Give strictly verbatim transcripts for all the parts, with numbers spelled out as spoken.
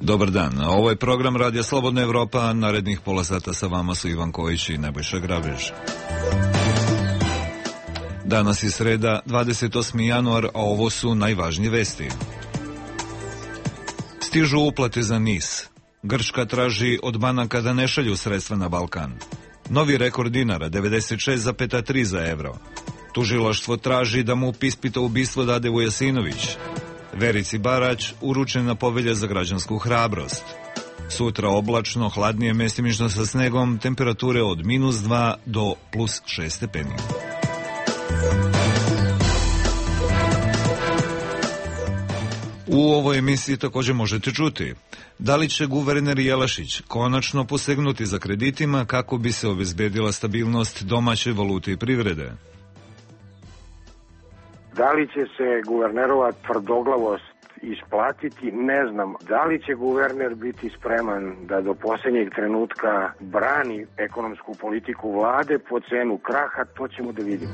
Dobar dan, ovo je program Radija Slobodna Evropa, narednih pola sata sa vama su Ivan Kojić i Nebojša Grabež. Danas je sreda, dvadeset osmi januar, a ovo su najvažnije vesti. Stižu uplate za N I S. Grčka traži od banaka da ne šalju sredstva na Balkan. Novi rekord dinara, devedeset šest zarez tri za evro. Tužilaštvo traži da mu ispita ubistvo Dade Vujasinović. Verici Barać uručena povelja za građansku hrabrost. Sutra oblačno, hladnije, mestimično sa snegom, temperature od minus dva do plus šest stepeni. U ovoj emisiji također možete čuti da li će guverner Jelašić konačno posegnuti za kreditima kako bi se obezbedila stabilnost domaće valute i privrede. Da li će se guvernerova tvrdoglavost isplatiti, ne znam. Da li će guverner biti spreman da do posljednjeg trenutka brani ekonomsku politiku vlade po cenu kraha, to ćemo da vidimo.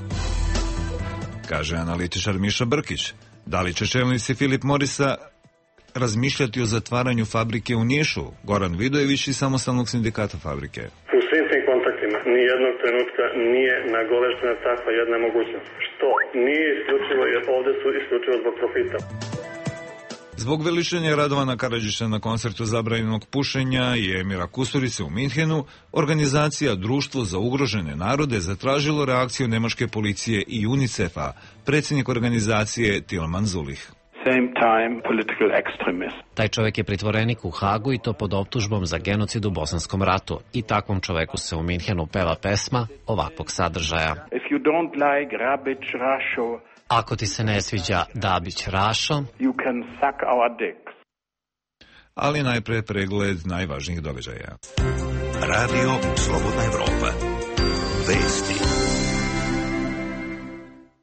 Kaže analitičar Miša Brkić. Da li će čelnici Philip Morrisa razmišljati o zatvaranju fabrike u Nišu? Goran Vidojević iz Samostalnog sindikata fabrike. U svim tim kontaktima nijednog trenutka nije nagoveštena takva jedna mogućnost. Što nije isključivo, jer ovde su isključivo zbog profita. Zbog veličanja Radovana Karadžića na koncertu zabranjenog pušenja i Emira Kusturice u Minhenu, organizacija Društvo za ugrožene narode zatražilo reakciju nemačke policije i UNICEF-a, predsjednik organizacije Tilman Zulih. Taj čovjek je pritvorenik u Hagu i to pod optužbom za genocid u Bosanskom ratu. I takvom čoveku se u Minhenu peva pesma ovakvog sadržaja. Ako ti se ne sviđa Dabić Rašo, ali najpre pregled najvažnijih događaja. Radio Slobodna Evropa. Vesti.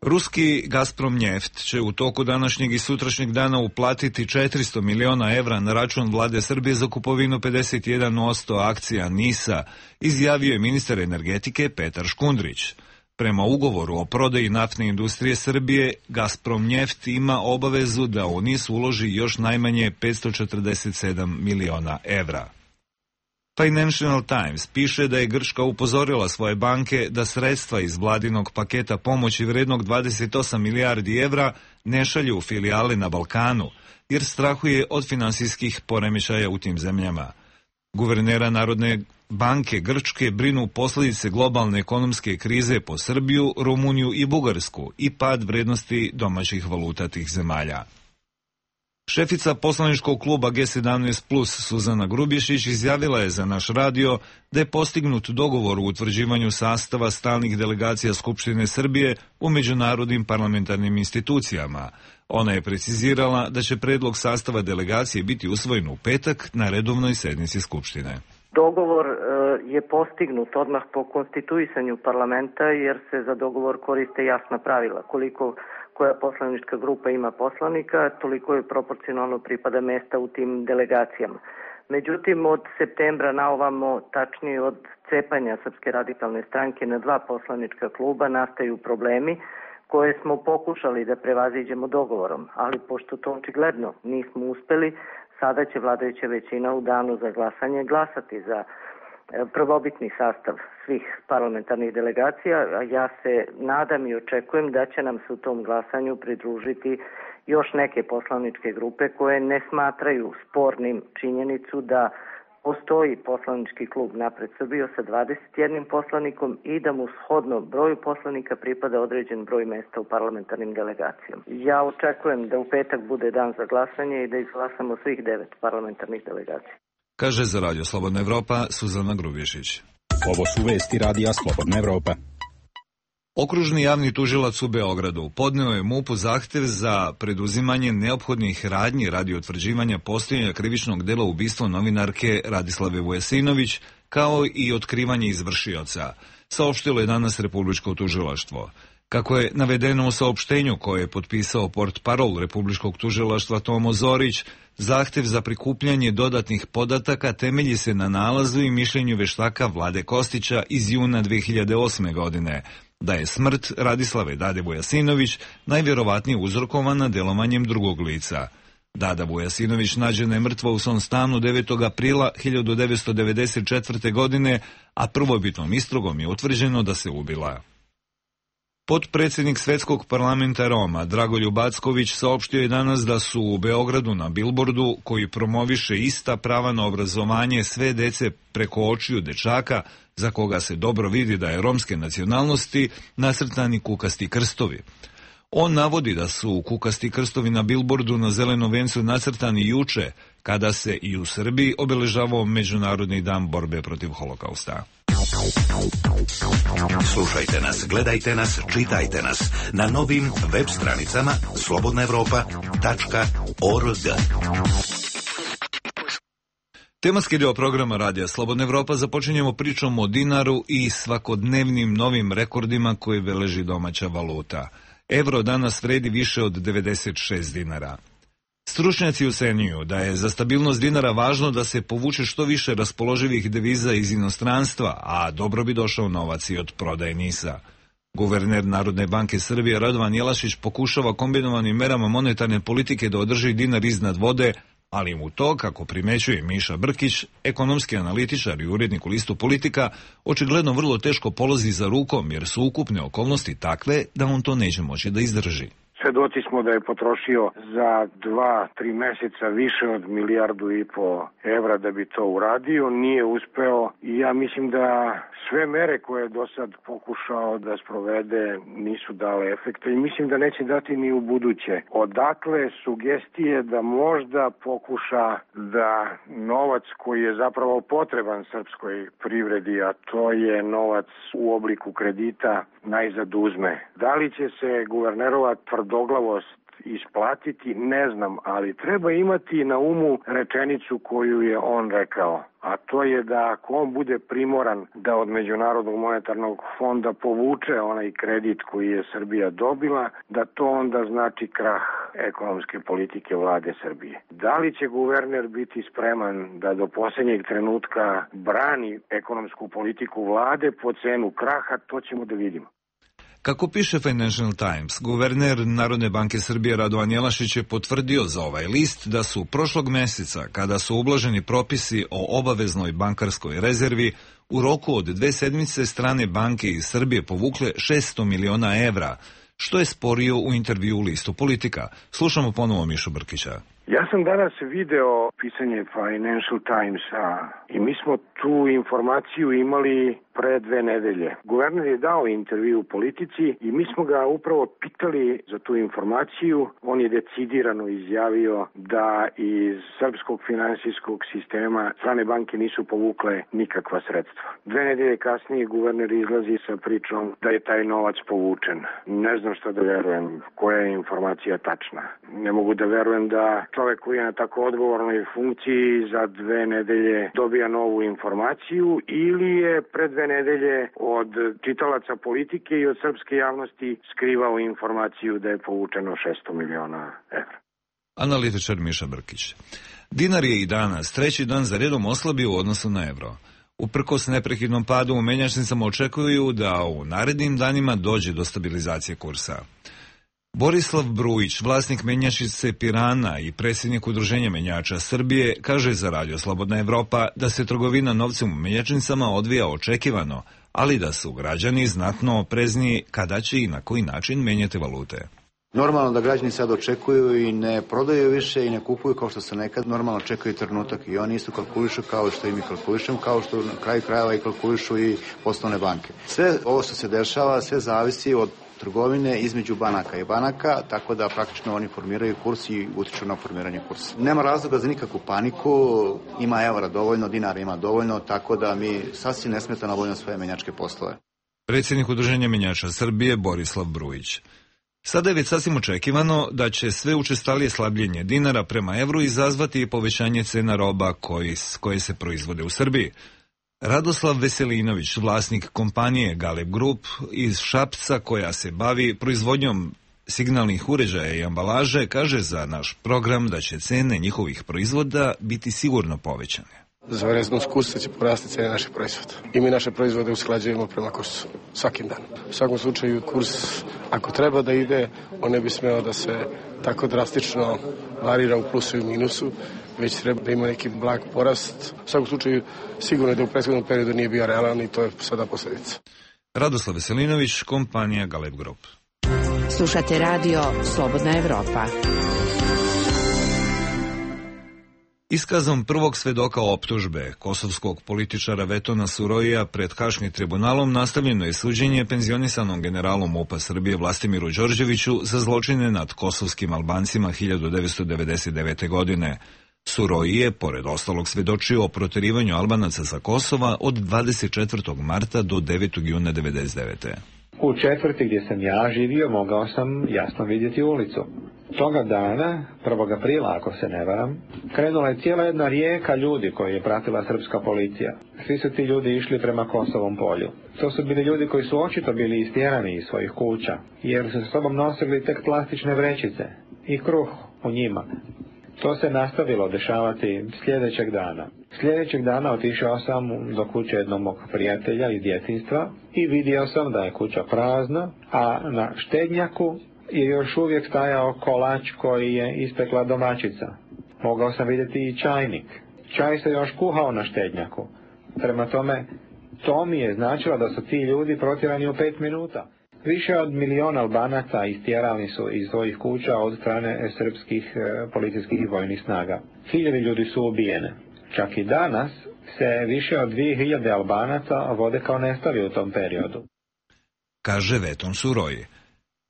Ruski Gazprom Njeft će u toku današnjeg i sutrašnjeg dana uplatiti četiristo miliona evra na račun vlade Srbije za kupovinu pedeset jedan posto akcija N I S-a, izjavio je ministar energetike Petar Škundrić. Prema ugovoru o prodaji naftne industrije Srbije, Gazprom Njeft ima obavezu da u N I S uloži još najmanje petsto četrdeset sedam miliona evra. Financial Times piše da je Grčka upozorila svoje banke da sredstva iz vladinog paketa pomoći vrednog dvadeset osam milijardi evra ne šalju u filijale na Balkanu, jer strahuje od finansijskih poremećaja u tim zemljama. Guvernera Narodne banke Grčke brinu posljedice globalne ekonomske krize po Srbiju, Rumuniju i Bugarsku i pad vrednosti domaćih valuta tih zemalja. Šefica poslaničkog kluba G sedamnaest plus Suzana Grubješić izjavila je za naš radio da je postignut dogovor u utvrđivanju sastava stalnih delegacija Skupštine Srbije u međunarodnim parlamentarnim institucijama. Ona je precizirala da će predlog sastava delegacije biti usvojen u petak na redovnoj sednici Skupštine. Dogovor je postignut odmah po konstituisanju parlamenta jer se za dogovor koriste jasna pravila. Koliko koja poslanička grupa ima poslanika, toliko je proporcionalno pripada mesta u tim delegacijama. Međutim, od septembra na ovamo, tačnije od cepanja Srpske radikalne stranke na dva poslanička kluba, nastaju problemi koje smo pokušali da prevaziđemo dogovorom, ali pošto to očigledno nismo uspeli, sada će vladajuća većina u danu za glasanje glasati za prvobitni sastav svih parlamentarnih delegacija, a ja se nadam i očekujem da će nam se u tom glasanju pridružiti još neke poslaničke grupe koje ne smatraju spornim činjenicu da postoji poslanički klub Napred Srbijo sa dvadeset jednim poslanikom i da mu shodno broju poslanika pripada određen broj mesta u parlamentarnim delegacijama. Ja očekujem da u petak bude dan za glasanje i da izglasamo svih devet parlamentarnih delegacija. Kaže za Radio Slobodna Evropa Suzana Grubješić. Ovo su vesti Radija Slobodna Evropa. Okružni javni tužilac u Beogradu podneo je MUP-u zahtev za preduzimanje neophodnih radnji radi utvrđivanja postojanja krivičnog dela ubistva novinarke Radislave Vujasinović, kao i otkrivanje izvršioca, saopštilo je danas Republičko tužilaštvo. Kako je navedeno u saopštenju koje je potpisao portparol Republičkog tužilaštva Tomo Zorić, zahtev za prikupljanje dodatnih podataka temelji se na nalazu i mišljenju veštaka Vlade Kostića iz juna dve hiljade osme. godine, da je smrt Radislave Dade Vujasinović najvjerovatnije uzrokovana delovanjem drugog lica. Dada Vujasinović nađena je mrtva u svom stanu devetog aprila hiljadu devetsto devedeset četvrte. godine, a prvobitnom istragom je utvrđeno da se ubila. Potpredsjednik Svetskog parlamenta Roma Dragoljub Acković saopštio je danas da su u Beogradu na bilbordu, koji promoviše ista prava na obrazovanje sve dece preko očiju dečaka, za koga se dobro vidi da je romske nacionalnosti, nacrtani kukasti krstovi. On navodi da su kukasti krstovi na bilbordu na zelenom vencu nacrtani juče, kada se i u Srbiji obeležavao Međunarodni dan borbe protiv holokausta. Slušajte nas, gledajte nas, čitajte nas na novim web stranicama slobodna evropa tačka org. Tematski dio programa Radija Slobodna Evropa započinjemo pričom o dinaru i svakodnevnim novim rekordima koje beleži domaća valuta. Evro danas vredi više od devedeset šest dinara. Stručnjaci ocenjuju da je za stabilnost dinara važno da se povuče što više raspoloživih deviza iz inostranstva, a dobro bi došao novac i od prodaje NIS-a. Guverner Narodne banke Srbije Radovan Jelašić pokušava kombinovanim merama monetarne politike da održi dinar iznad vode, ali mu to, kako primećuje Miša Brkić, ekonomski analitičar i urednik u listu Politika, očigledno vrlo teško polazi za rukom, jer su ukupne okolnosti takve da on to neće moći da izdrži. Svedoci smo da je potrošio za dva, tri meseca više od milijardu i po evra da bi to uradio, nije uspeo i ja mislim da sve mere koje je do sad pokušao da sprovede nisu dale efekta i mislim da neće dati ni u buduće. Odakle sugestije da možda pokuša da novac koji je zapravo potreban srpskoj privredi, a to je novac u obliku kredita, najzad uzme. Da li će se guvernerova tvrdoglavost isplatiti, ne znam, ali treba imati na umu rečenicu koju je on rekao, a to je da ako on bude primoran da od Međunarodnog monetarnog fonda povuče onaj kredit koji je Srbija dobila, da to onda znači krah ekonomske politike vlade Srbije. Da li će guverner biti spreman da do posljednjeg trenutka brani ekonomsku politiku vlade po cenu kraha, to ćemo da vidimo. Kako piše Financial Times, guverner Narodne banke Srbije Radovan Jelašić je potvrdio za ovaj list da su prošlog meseca, kada su ublaženi propisi o obaveznoj bankarskoj rezervi, u roku od dve sedmice strane banke iz Srbije povukle šesto miliona evra, što je sporio u intervju u listu Politika. Slušamo ponovo Mišu Brkića. Ja sam danas video pisanje Financial Timesa i mi smo tu informaciju imali pre dve nedelje. Guverner je dao intervju u Politici i mi smo ga upravo pitali za tu informaciju. On je decidirano izjavio da iz srpskog finansijskog sistema strane banke nisu povukle nikakva sredstva. Dve nedelje kasnije guverner izlazi sa pričom da je taj novac povučen. Ne znam što da verujem, koja je informacija tačna. Ne mogu da verujem da čovek koji je na tako odgovornoj funkciji za dve nedelje dobija novu informaciju ili je pre dve nedelje od čitalaca Politike i od srpske javnosti skrivao informaciju da je povučeno šesto miliona evra. Analitičar Miša Brkić. Dinar je i danas treći dan za redom oslabio u odnosu na evro. Uprkos neprekidnom padu u menjačnicama očekuju da u narednim danima dođe do stabilizacije kursa. Borislav Brujić, vlasnik menjačnice Pirana i predsjednik Udruženja menjača Srbije, kaže za Radio Slobodna Evropa da se trgovina novcem u menjačnicama odvija očekivano, ali da su građani znatno oprezniji kada će i na koji način menjati valute. Normalno da građani sad očekuju i ne prodaju više i ne kupuju kao što se nekad normalno čekaju trenutak i oni isto kalkulišu kao što i mi kalkulišemo, kao što na kraju krajeva i kalkulišu i poslovne banke. Sve ovo što se dešava, sve zavisi od trgovine između banaka i banaka, tako da praktično oni formiraju kurs i utiču na formiranje kursa. Nema razloga za nikakvu paniku, ima evra dovoljno, dinara ima dovoljno, tako da mi sasvim nesmetano obavljamo svoje menjačke poslove. Predsjednik Udruženja menjača Srbije Borislav Brujić. Sada je već sasvim očekivano da će sve učestalije slabljenje dinara prema evru izazvati i povećanje cena roba koji, koje se proizvode u Srbiji. Radoslav Veselinović, vlasnik kompanije Galeb Group iz Šapca koja se bavi proizvodnjom signalnih uređaja i ambalaže, kaže za naš program da će cene njihovih proizvoda biti sigurno povećane. za reznost kursa će porasti cene naših proizvoda. I mi naše proizvode usklađujemo prema kursu svakim danom. U svakom slučaju kurs, ako treba da ide, on ne bi smeo da se tako drastično varira u plusu i minusu, već treba da ima neki blag porast. U svakom slučaju sigurno je da u prethodnom periodu nije bio realan i to je sada posledica. Radoslav Veselinović, kompanija Galeb Group. Slušate radio Slobodna Evropa. Iskazom prvog svedoka optužbe kosovskog političara Vetona Surojija pred Haškim tribunalom nastavljeno je suđenje penzionisanom generalu MUP-a Srbije Vlastimiru Đorđeviću za zločine nad kosovskim Albancima hiljadu devetsto devedeset devete. godine. Surojij je, pored ostalog, svedočio o proterivanju Albanaca sa Kosova od dvadeset četvrtog marta do devetog juna devedeset devete. U četvrti gdje sam ja živio mogao sam jasno vidjeti ulicu. Toga dana, prvog aprila ako se ne varam, krenula je cijela jedna rijeka ljudi koju je pratila srpska policija. Svi su ti ljudi išli prema Kosovom polju. To su bili ljudi koji su očito bili istjerani iz svojih kuća, jer su sa sobom nosili tek plastične vrećice i kruh u njima. To se nastavilo dešavati sljedećeg dana. Sljedećeg dana otišao sam do kuće jednog mog prijatelja iz djetinjstva i vidio sam da je kuća prazna, a na štednjaku je još uvijek stajao kolač koji je ispekla domaćica. Mogao sam vidjeti i čajnik. Čaj se još kuhao na štednjaku. Prema tome, to mi je značilo da su ti ljudi protjerani u pet minuta. Više od miliona Albanaca istjerani su iz svojih kuća od strane srpskih e, policijskih i vojnih snaga. Hiljade ljudi su ubijene. Čak i danas se više od dvije hiljade Albanaca vode kao nestali u tom periodu. Kaže Veton Surojij.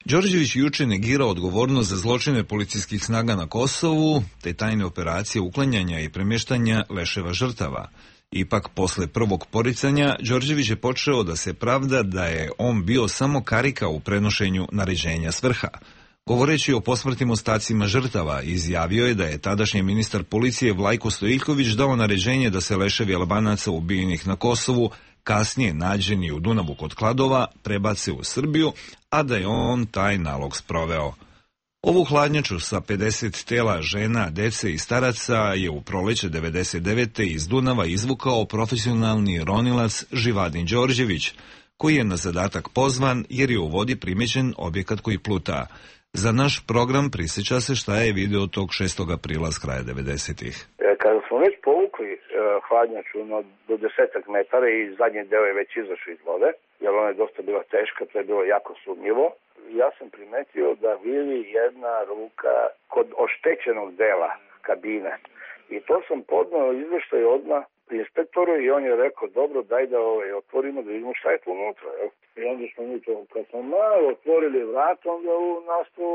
Đorđević juče negirao odgovornost za zločine policijskih snaga na Kosovu, te tajne operacije uklanjanja i premještanja leševa žrtava. Ipak, posle prvog poricanja, Đorđević je počeo da se pravda da je on bio samo karika u prenošenju naređenja s vrha. Govoreći o posmrtnim ostacima žrtava, izjavio je da je tadašnji ministar policije Vlajko Stojiljković dao naređenje da se leševi Albanaca ubijenih na Kosovu, kasnije nađeni u Dunavu kod Kladova, prebace u Srbiju, a da je on taj nalog sproveo. Ovu hladnjaču sa pedeset tela žena, dece i staraca je u proleće devedeset devete. iz Dunava izvukao profesionalni ronilac Živadin Đorđević, koji je na zadatak pozvan jer je u vodi primećen objekat koji pluta. Za naš program prisjeća se šta je video tog šestog aprila s kraja devedesetih. Kada smo već povukli uh, hladnjaču no, do desetak metara i zadnji deo je već izašao iz vode, jer ona je dosta bila teška, to je bilo jako sumnjivo, ja sam primetio da viri jedna ruka kod oštećenog dela kabine. I to sam podnao izveštaj odmah inspektoru i on je rekao, dobro, daj da ovaj, otvorimo da vidimo šta je tu unutra. Jel? I onda smo mi to, kad smo malo otvorili vrat, onda u nastao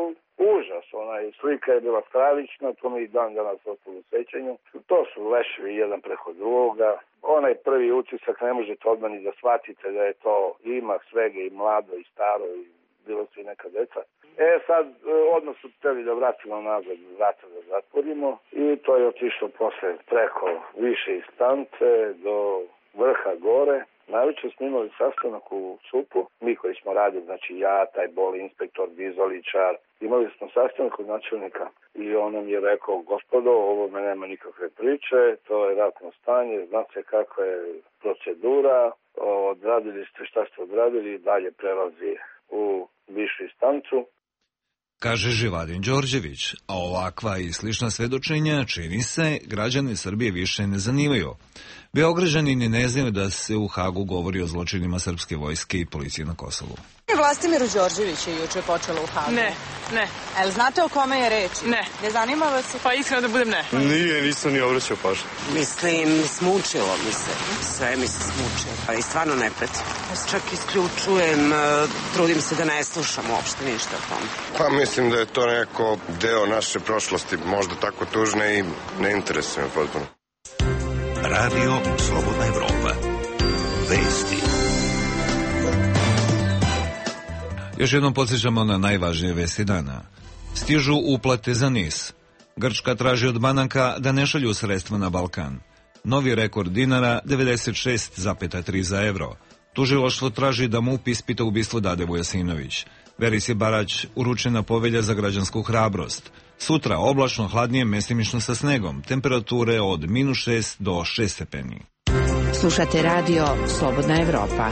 užas. Onaj slika je bila stravična, to mi i dan danas ostalo u sećanju. To su leševi jedan preko drugoga. Onaj prvi utisak ne možete odmah ni da shvatite da je to, ima svega i mlado i staro i bilo su i neka deca. E sad, odmah su hteli da vratimo nazad, vrata da zatvorimo i to je otišlo posle preko više istance do vrha gore. Najveće smo imali sastanak u S U P-u, mi koji smo radili, znači ja, taj boli inspektor, dizoličar, imali smo sastanak od načelnika i on nam je rekao, gospodo, ovo me nema nikakve priče, to je ratno stanje, znate kakva je procedura, odradili ste šta ste odradili i dalje prelazi u višu instancu. Kaže Živadin Đorđević, a ovakva i slična svedočenja, čini se, građane Srbije više ne zanimaju. Beograđani ni ne znaju da se u Hagu govori o zločinima srpske vojske i policije na Kosovu. Vlastimiru Đorđeviću je juče počelo u Hagu. Ne, ne. El znate o kome je reč? Ne. Ne zanima vas? Pa iskreno da budem ne. Nije, nisam ni obraćao pažnju. Mislim, smučilo mi se. Sve mi se smučilo. Pa i stvarno ne pratim. Čak isključujem, trudim se da ne slušam uopšte ništa o tome. Pa mislim da je to neko deo naše prošlosti, možda tako tužne i ne interesuje me potpuno. Radio Slobodna Evropa. Vesti. Još jednom podsjećamo na najvažnije vesti dana. Stižu uplate za NIS. Grčka traži od banaka da ne šalju sredstva na Balkan. Novi rekord dinara devedeset šest zarez tri za evro. Tužilaštvo traži da MUP ispita ubistvo Dade Vujasinović. Verisi Barać uručena povelja za građansku hrabrost. Sutra oblačno, hladnije, mestimično sa snegom. Temperature od minus šest do šest stepeni. Slušate radio Slobodna Evropa.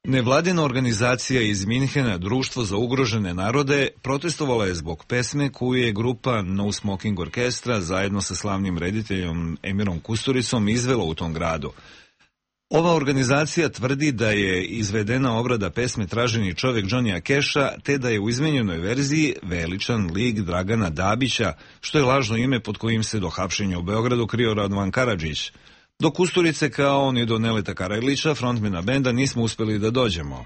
Nevladina organizacija iz Minhena, Društvo za ugrožene narode, protestovala je zbog pesme koju je grupa No Smoking Orkestra zajedno sa slavnim rediteljom Emirom Kusturicom izvela u tom gradu. Ova organizacija tvrdi da je izvedena obrada pesme Traženi čovjek Johnnyja Casha, te da je u izmenjenoj verziji veličan lik Dragana Dabića, što je lažno ime pod kojim se do hapšenja u Beogradu krio Radovan Karadžić. Do Kusturice kao ni do Neleta Karajlića, frontmena benda, nismo uspeli da dođemo.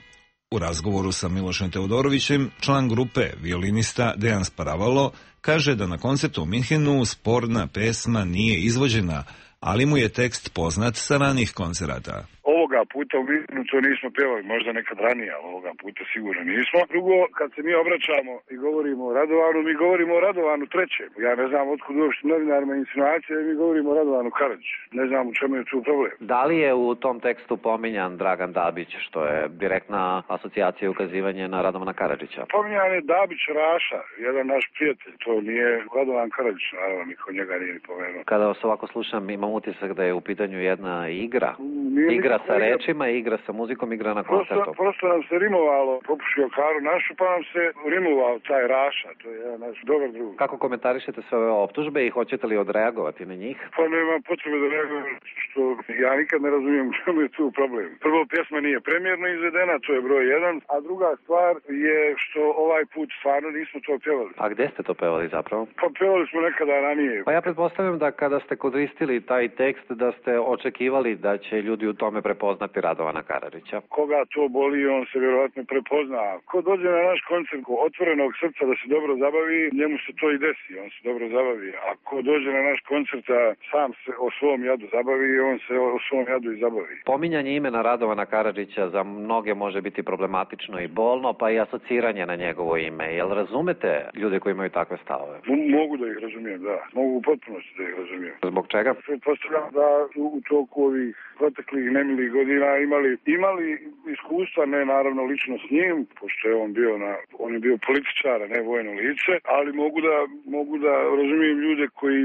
U razgovoru sa Milošem Teodorovićem, član grupe, violinista Dejan Sparavalo, kaže da na koncertu u Minhenu sporna pesma nije izvođena, ali mu je tekst poznat sa ranih koncerata. Ovoga puta u Minhenu to nismo pevali, možda nekad ranije, ali ovoga puta sigurno nismo. Drugo, kad se mi obraćamo i govorimo o Radovanu, mi govorimo o Radovanu trećem. Ja ne znam otkud uopšte novinarima insinuacije, mi govorimo o Radovanu Karadžiću. Ne znam u čemu je tu problem. Da li je u tom tekstu pominjan Dragan Dabić, što je direktna asocijacija i ukazivanje na Radovana Karadžića? Pominjan je Dabić Raša, jedan naš prijatelj. To nije Radovan Karadžić, naravno, niko njega nije ni pomenuo. Kada vas ovako slušam, imam utisak da je u pitanju jedna igra. Nije igra sa rečima, igra sa muzikom, igra na koncertu. Prosto, prosto nam se rimovalo, popušio karu našu, pa nam se rimovao taj Raša, to je jedan naš dobar drug. Kako komentarišete sve ove optužbe i hoćete li odreagovati na njih? Pa nema potrebe da reagujem, što ja nikad ne razumijem u čemu je tu problem. Prvo, pjesma nije premijerno izvedena, to je broj jedan, a druga stvar je što ovaj put stvarno nismo to pjevali. A gde ste to pevali zapravo? Pa pjevali smo nekada ranije. Pa ja pretpostavljam da kada ste koristili taj tekst, da ste očekivali da će ljudi u tome prepoznati Radovana Karadžića. Koga to boli, on se vjerovatno prepozna. Ko dođe na naš koncert otvorenog srca da se dobro zabavi, njemu se to i desi, on se dobro zabavi. A ko dođe na naš koncert da sam se o svom jadu zabavi, on se o svom jadu i zabavi. Pominjanje imena Radovana Karadžića za mnoge može biti problematično i bolno, pa i asociranje na njegovo ime. Jel razumete ljude koji imaju takve stavove? Mogu da ih razumijem, da. Mogu u potpunosti da ih razumijem. Zbog čega? Pretpostavljam da u toku ovih proteklih nemilih godina imali, imali iskustva, ne naravno lično s njim, pošto je on bio na, on je bio političar, a ne vojno lice, ali mogu da, mogu da razumijem ljude koji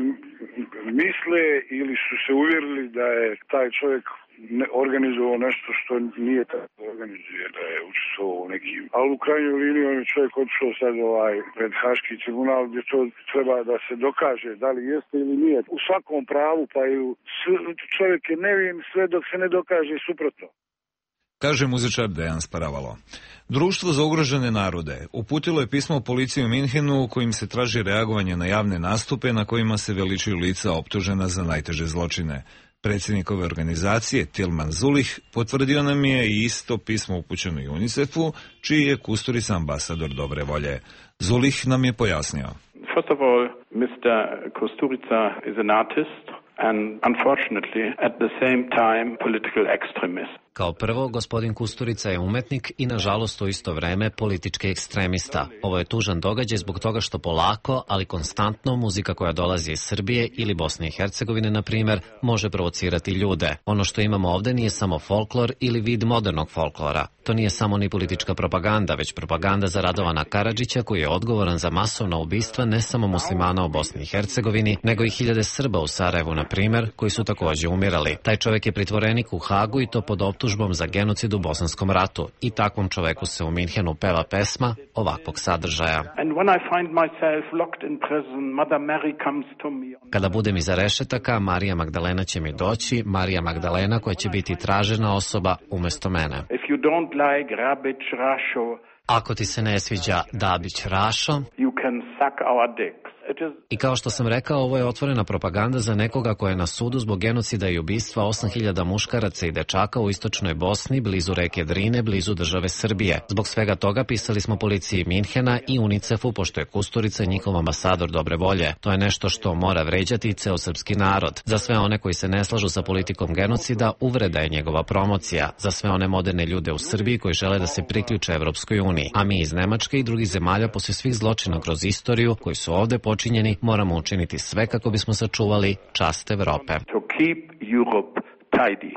misle ili su se uvjerili da je taj čovjek ne organizovao nešto što nije tako da organizuje, da je učestvovao u nekim. Ali u krajnjoj liniji on je čovjek otišao sad ovaj pred Haški tribunal gdje to treba da se dokaže da li jeste ili nije. U svakom pravu, pa i u, čovjek je nevin sve dok se ne dokaže suprotno. Kaže muzičar Dejan Sparavalo. Društvo za ugrožene narode uputilo je pismo policiji u Minhenu kojim se traži reagovanje na javne nastupe na kojima se veličuju lica optužena za najteže zločine. Predsjednik ove organizacije, Tilman Zulih, potvrdio nam je i isto pismo upućeno i UNICEF-u, čiji je Kusturica ambasador dobre volje. Zulih nam je pojasnio. First of all, mister Kusturica is an artist and unfortunately at the same time political extremist. Kao prvo, gospodin Kusturica je umetnik i nažalost u isto vreme politički ekstremista. Ovo je tužan događaj zbog toga što polako, ali konstantno muzika koja dolazi iz Srbije ili Bosne i Hercegovine, na primjer, može provocirati ljude. Ono što imamo ovde nije samo folklor ili vid modernog folklora. To nije samo ni politička propaganda, već propaganda za Radovana Karadžića koji je odgovoran za masovna ubistva ne samo muslimana u Bosni i Hercegovini, nego i hiljade Srba u Sarajevu, na primjer, koji su također umirali. Taj čovjek je pritvorenik u Hagu i to pod optužbom za genocid u Bosanskom ratu. I takvom čoveku se u Minhenu peva pesma ovakvog sadržaja. Kada budem iza rešetaka, Marija Magdalena će mi doći, Marija Magdalena koja će biti tražena osoba umjesto mene. Ako ti se ne sviđa Dabić Rašo, i kao što sam rekao, ovo je otvorena propaganda za nekoga ko je na sudu zbog genocida i ubistva osam hiljada muškaraca i dečaka u istočnoj Bosni, blizu reke Drine, blizu države Srbije. Zbog svega toga pisali smo policiji Minhena i UNICEF-u, pošto je Kusturica njihov ambasador dobre volje. To je nešto što mora vređati ceo srpski narod. Za sve one koji se ne slažu sa politikom genocida, uvreda je njegova promocija. Za sve one moderne ljude u Srbiji koji žele da se priključe Evropskoj uniji. A mi iz Nemačke i drugih zemalja, posle svih zločina kroz istoriju koji su ovde počinjeni, moramo učiniti sve kako bismo sačuvali čast Evrope. To keep Europe tidy.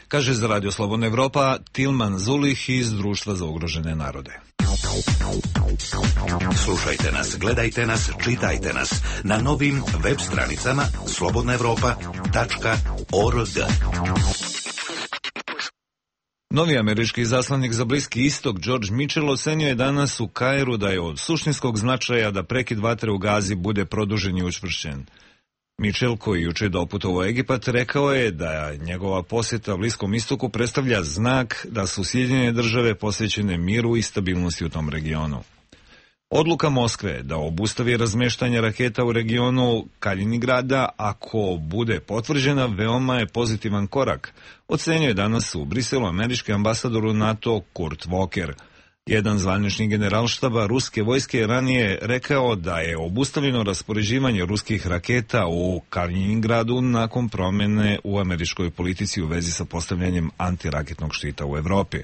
Kaže za Radio Slobodna Evropa Tilman Zulih iz Društva za ugrožene narode. Slušajte nas, gledajte nas, čitajte nas na novim web stranicama slobodna evropa tačka org. Novi američki izaslanik za Bliski istok George Mitchell ocenio je danas u Kairu da je od suštinskog značaja da prekid vatre u Gazi bude produžen i učvršćen. Mitchell, koji juče doputovao u Egipat, rekao je da njegova posjeta Bliskom istoku predstavlja znak da su Sjedinjene države posvećene miru i stabilnosti u tom regionu. Odluka Moskve da obustavi razmeštanje raketa u regionu Kaliningrada, ako bude potvrđena, veoma je pozitivan korak, ocenio je danas u Briselu američki ambasador u NATO Kurt Walker. Jedan zvanični generalštaba ruske vojske je ranije rekao da je obustavljeno raspoređivanje ruskih raketa u Kaliningradu nakon promjene u američkoj politici u vezi sa postavljanjem antiraketnog štita u Evropi.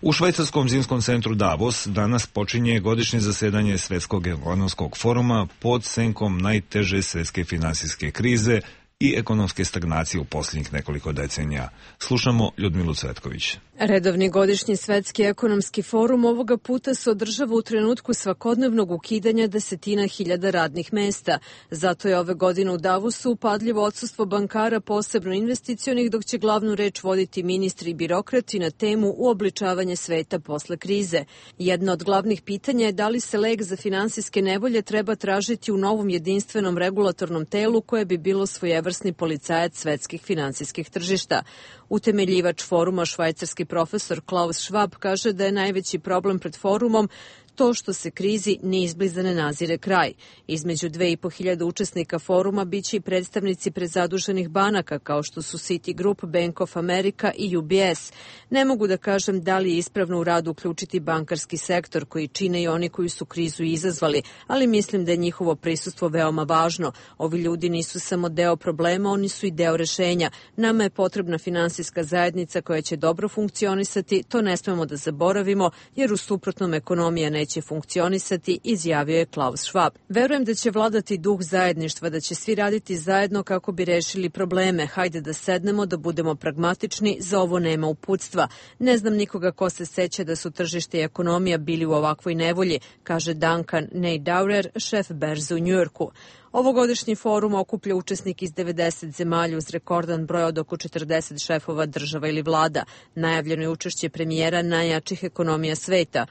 U švajcarskom zimskom centru Davos danas počinje godišnje zasedanje Svetskog ekonomskog foruma pod senkom najteže svetske finansijske krize i ekonomske stagnacije u posljednjih nekoliko decenija. Slušamo Ljudmilu Cvetković. Redovni godišnji svetski ekonomski forum ovoga puta se održava u trenutku svakodnevnog ukidanja desetina hiljada radnih mesta. Zato je ove godine u Davosu upadljivo odsustvo bankara, posebno investicionih, dok će glavnu reč voditi ministri i birokrati na temu uobličavanje sveta posle krize. Jedna od glavnih pitanja je da li se lek za finansijske nevolje treba tražiti u novom jedinstvenom regulatornom telu koje bi bilo svojevrsni policajac svetskih finansijskih tržišta. Utemeljivač foruma, švajcarski profesor Klaus Schwab, kaže da je najveći problem pred forumom to što se krizi ni izbliza ne nazire kraj. Između dve i po hiljade učesnika foruma biće i predstavnici prezaduženih banaka kao što su Citigroup, Bank of America i U B S. Ne mogu da kažem da li je ispravno u radu uključiti bankarski sektor koji čine i oni koji su krizu izazvali, ali mislim da je njihovo prisustvo veoma važno. Ovi ljudi nisu samo deo problema, oni su i deo rešenja. Nama je potrebna finansijska zajednica koja će dobro funkcionisati, to ne smemo da zaboravimo, jer u suprotnom ekonomija ne neće funkcionisati, izjavio je Klaus Schwab. Verujem da će vladati duh zajedništva, da će svi raditi zajedno kako bi rešili probleme. Hajde da sednemo, da budemo pragmatični, za ovo nema uputstva. Ne znam nikoga ko se seća da su tržište i ekonomija bili u ovakvoj nevolji, kaže Duncan Neidaurer, šef berze u Njujorku. Ovogodišnji forum okuplja učesnik iz devedeset zemalja uz rekordan broj od oko četrdeset šefova država ili vlada. Najavljeno je učešće premijera najjačih ekonomija sveta.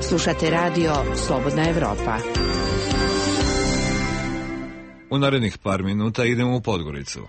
Slušate radio Slobodna Evropa. U narednih par minuta idemo u Podgoricu.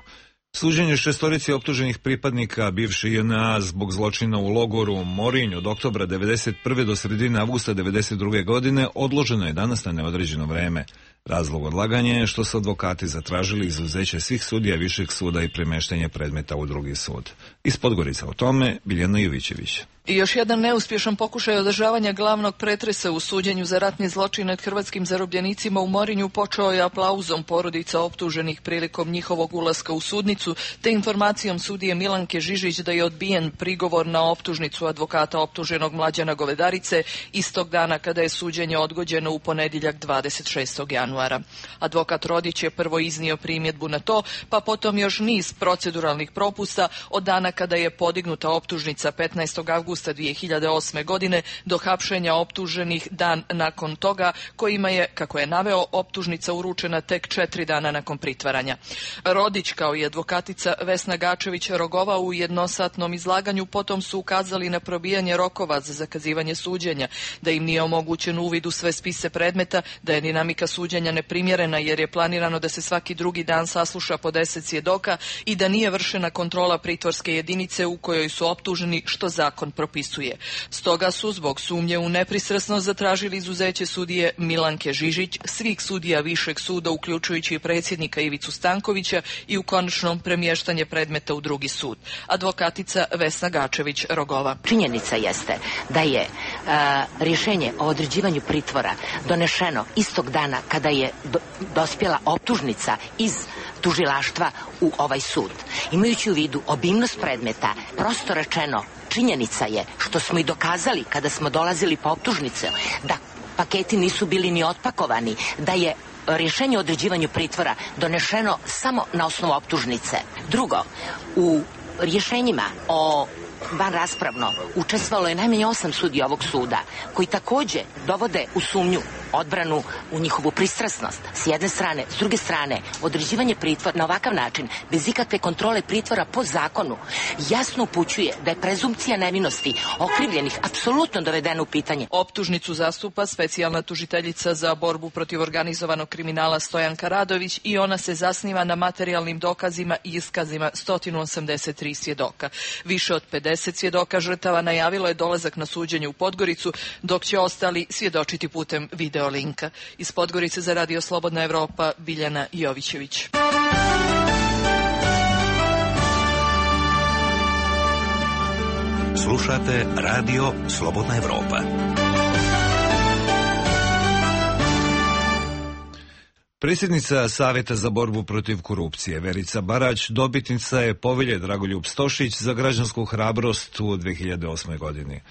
Suđenje šestorici optuženih pripadnika bivše J N A zbog zločina u logoru Morinj od oktobra devedeset prve do sredine avgusta devedeset druge godine odloženo je danas na neodređeno vreme. Razlog odlaganja je što su advokati zatražili izuzeće svih sudija Višeg suda i premeštenje predmeta u drugi sud. Iz Podgorica o tome Biljana Jovićević. I još jedan neuspješan pokušaj održavanja glavnog pretresa u suđenju za ratni zločin nad hrvatskim zarobljenicima u Morinju počeo je aplauzom porodica optuženih prilikom njihovog ulaska u sudnicu, te informacijom sudije Milanke Žižić da je odbijen prigovor na optužnicu advokata optuženog Mlađana Govedarice istog dana kada je suđenje odgođeno u ponedjeljak dvadeset šestog januara. Advokat Rodić je prvo iznio primjedbu na to, pa potom još niz proceduralnih propusta od dana kada je podignuta optužnica petnaestog avgusta dvije hiljade osme. godine do hapšenja optuženih dan nakon toga, kojima je, kako je naveo, optužnica uručena tek četiri dana nakon pritvaranja. Rodić kao i advokatica Vesna Gačević-Rogova u jednosatnom izlaganju potom su ukazali na probijanje rokova za zakazivanje suđenja, da im nije omogućen uvid u sve spise predmeta, da je dinamika suđenja neprimjerena jer je planirano da se svaki drugi dan sasluša po deset svjedoka i da nije vršena kontrola pritvorske jedinice u kojoj su optuženi, što zakon propisuje. Stoga su zbog sumnje u nepristrasnost zatražili izuzeće sudije Milanke Žižić, svih sudija Višeg suda, uključujući i predsjednika Ivicu Stankovića, i u konačnom premještanje predmeta u drugi sud. Advokatica Vesna Gačević-Rogova. Činjenica jeste da je a, rješenje o određivanju pritvora donešeno istog dana kada je do, dospjela optužnica iz tužilaštva u ovaj sud. Imajući u vidu obimnost predmeta, prosto rečeno, činjenica je, što smo i dokazali kada smo dolazili po optužnice, da paketi nisu bili ni otpakovani, da je rješenje o određivanju pritvora donešeno samo na osnovu optužnice. Drugo, u rješenjima o van raspravno učestvovalo je najmanje osam sudija ovog suda, koji takođe dovode u sumnju odbranu u njihovu pristrasnost s jedne strane, s druge strane određivanje pritvora na ovakav način bez ikakve kontrole pritvora po zakonu jasno upućuje da je prezumpcija nevinosti okrivljenih apsolutno dovedena u pitanje. Optužnicu zastupa specijalna tužiteljica za borbu protiv organizovanog kriminala Stojanka Radović i ona se zasniva na materijalnim dokazima i iskazima sto osamdeset tri svjedoka. Više od pedeset svjedoka žrtava najavilo je dolazak na suđenje u Podgoricu, dok će ostali svjedočiti putem video linka. Iz Podgorice za Radio Slobodna Evropa, Biljana Jovićević. Slušate Radio Slobodna Evropa. Predsjednica Savjeta za borbu protiv korupcije Verica Barać dobitnica je povelje Dragoljub Stošić za građansku hrabrost u dve hiljade osmoj. godini.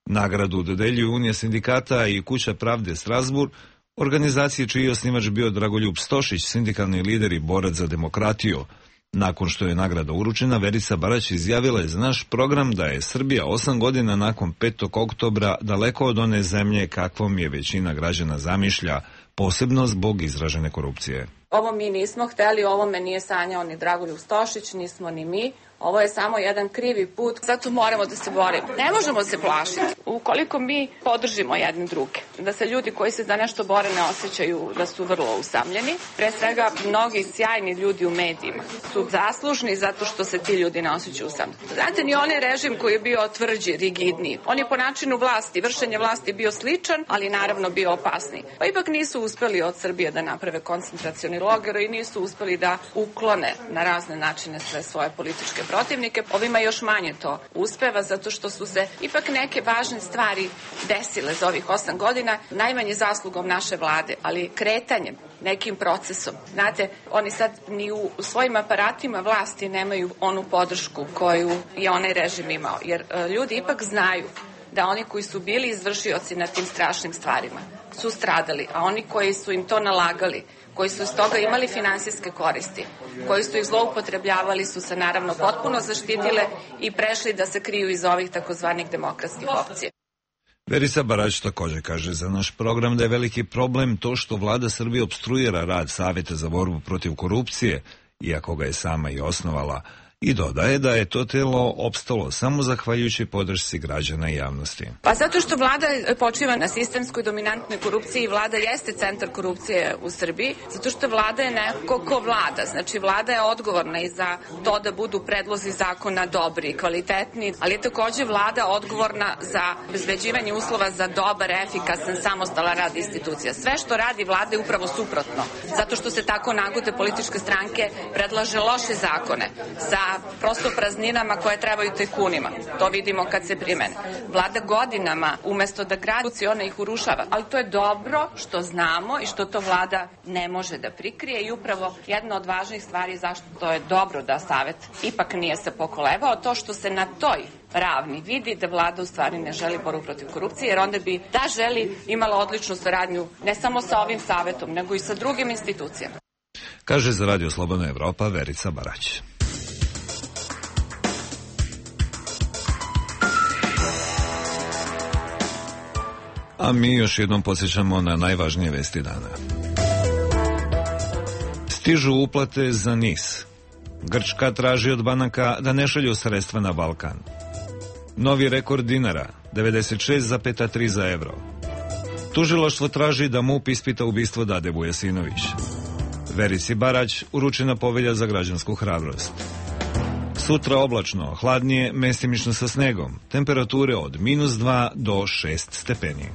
Nagradu dodeljuju Unija sindikata i Kuća pravde Strasbourg, organizacije čiji je osnivač bio Dragoljub Stošić, sindikalni lider i borac za demokratiju. Nakon što je nagrada uručena, Verica Barać izjavila je za naš program da je Srbija osam godina nakon petog oktobra daleko od one zemlje kakvom je većina građana zamišlja, posebno zbog izražene korupcije. Ovo mi nismo hteli, ovo me nije sanjao ni Dragoljub Stošić, nismo ni mi. Ovo je samo jedan krivi put, zato moramo da se borimo. Ne možemo se plašiti. Ukoliko mi podržimo jedni druge, da se ljudi koji se za nešto bore ne osjećaju da su vrlo usamljeni, pre svega mnogi sjajni ljudi u medijima su zaslužni zato što se ti ljudi ne osjećaju usamljeni. Znate, ni onaj režim koji je bio tvrđi, rigidniji, on je po načinu vlasti, vršenje vlasti bio sličan, ali naravno bio opasniji. Pa ipak nisu uspeli od Srbije da naprave koncentracioni logor i nisu uspeli da uklone na razne načine sve svoje političke protivnike. Ovima još manje to uspeva zato što su se ipak neke važne stvari desile za ovih osam godina, najmanje zaslugom naše vlade, ali kretanjem, nekim procesom. Znate, oni sad ni u svojim aparatima vlasti nemaju onu podršku koju je onaj režim imao, jer ljudi ipak znaju da oni koji su bili izvršioci na tim strašnim stvarima su stradali, a oni koji su im to nalagali, koji su iz toga imali finansijske koristi, koji su ih zloupotrebljavali, su se naravno potpuno zaštitile i prešli da se kriju iz ovih takozvanih demokratskih opcija. Verica Barać također kaže za naš program da je veliki problem to što vlada Srbije opstruira rad Savjeta za borbu protiv korupcije, iako ga je sama i osnovala, i dodaje da je to telo opstalo samo zahvaljujući podršci građana i javnosti. Pa zato što vlada počiva na sistemskoj dominantnoj korupciji i vlada jeste centar korupcije u Srbiji, zato što vlada je neko ko vlada. Znači vlada je odgovorna i za to da budu predlozi zakona dobri i kvalitetni, ali je takođe vlada odgovorna za obezbeđivanje uslova za dobar, efikasan, samostalan rad institucija. Sve što radi vlada je upravo suprotno, zato što se tako nagode političke stranke predlaže loše zakone sa prosto prazninama koje trebaju tajkunima. To vidimo kad se primene. Vlada godinama, umesto da gradi, ona ih urušava. Ali to je dobro što znamo i što to vlada ne može da prikrije i upravo jedna od važnih stvari zašto to je dobro da Savet ipak nije se pokolebao, to što se na toj ravni vidi da vlada u stvari ne želi borbu protiv korupcije, jer onda bi da želi imala odličnu saradnju ne samo sa ovim Savetom, nego i sa drugim institucijama. Kaže za Radio Slobodna Evropa Verica Barać. A mi još jednom podsjećamo na najvažnije vesti dana. Stižu uplate za NIS. Grčka traži od banaka da ne šalju sredstva na Balkan. Novi rekord dinara, devedeset šest zarez tri za evro. Tužilaštvo traži da MUP ispita ubistvo Dade Vujasinović. Verici Barać uručena povelja za građansku hrabrost. Sutra oblačno, hladnije, mestimično sa snegom. Temperature od minus dva do šest stepeni.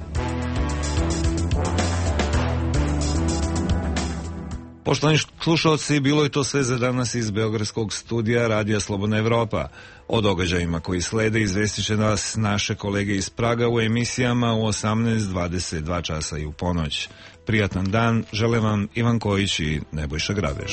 Poštovani slušalci, bilo je to sve za danas iz Beogradskog studija Radija Slobodna Evropa. O događajima koji slede izvestit će nas naše kolege iz Praga u emisijama u osamnaest, dvadeset dva časa i u ponoć. Prijatan dan, žele vam Ivan Kojić i Nebojša Grabež.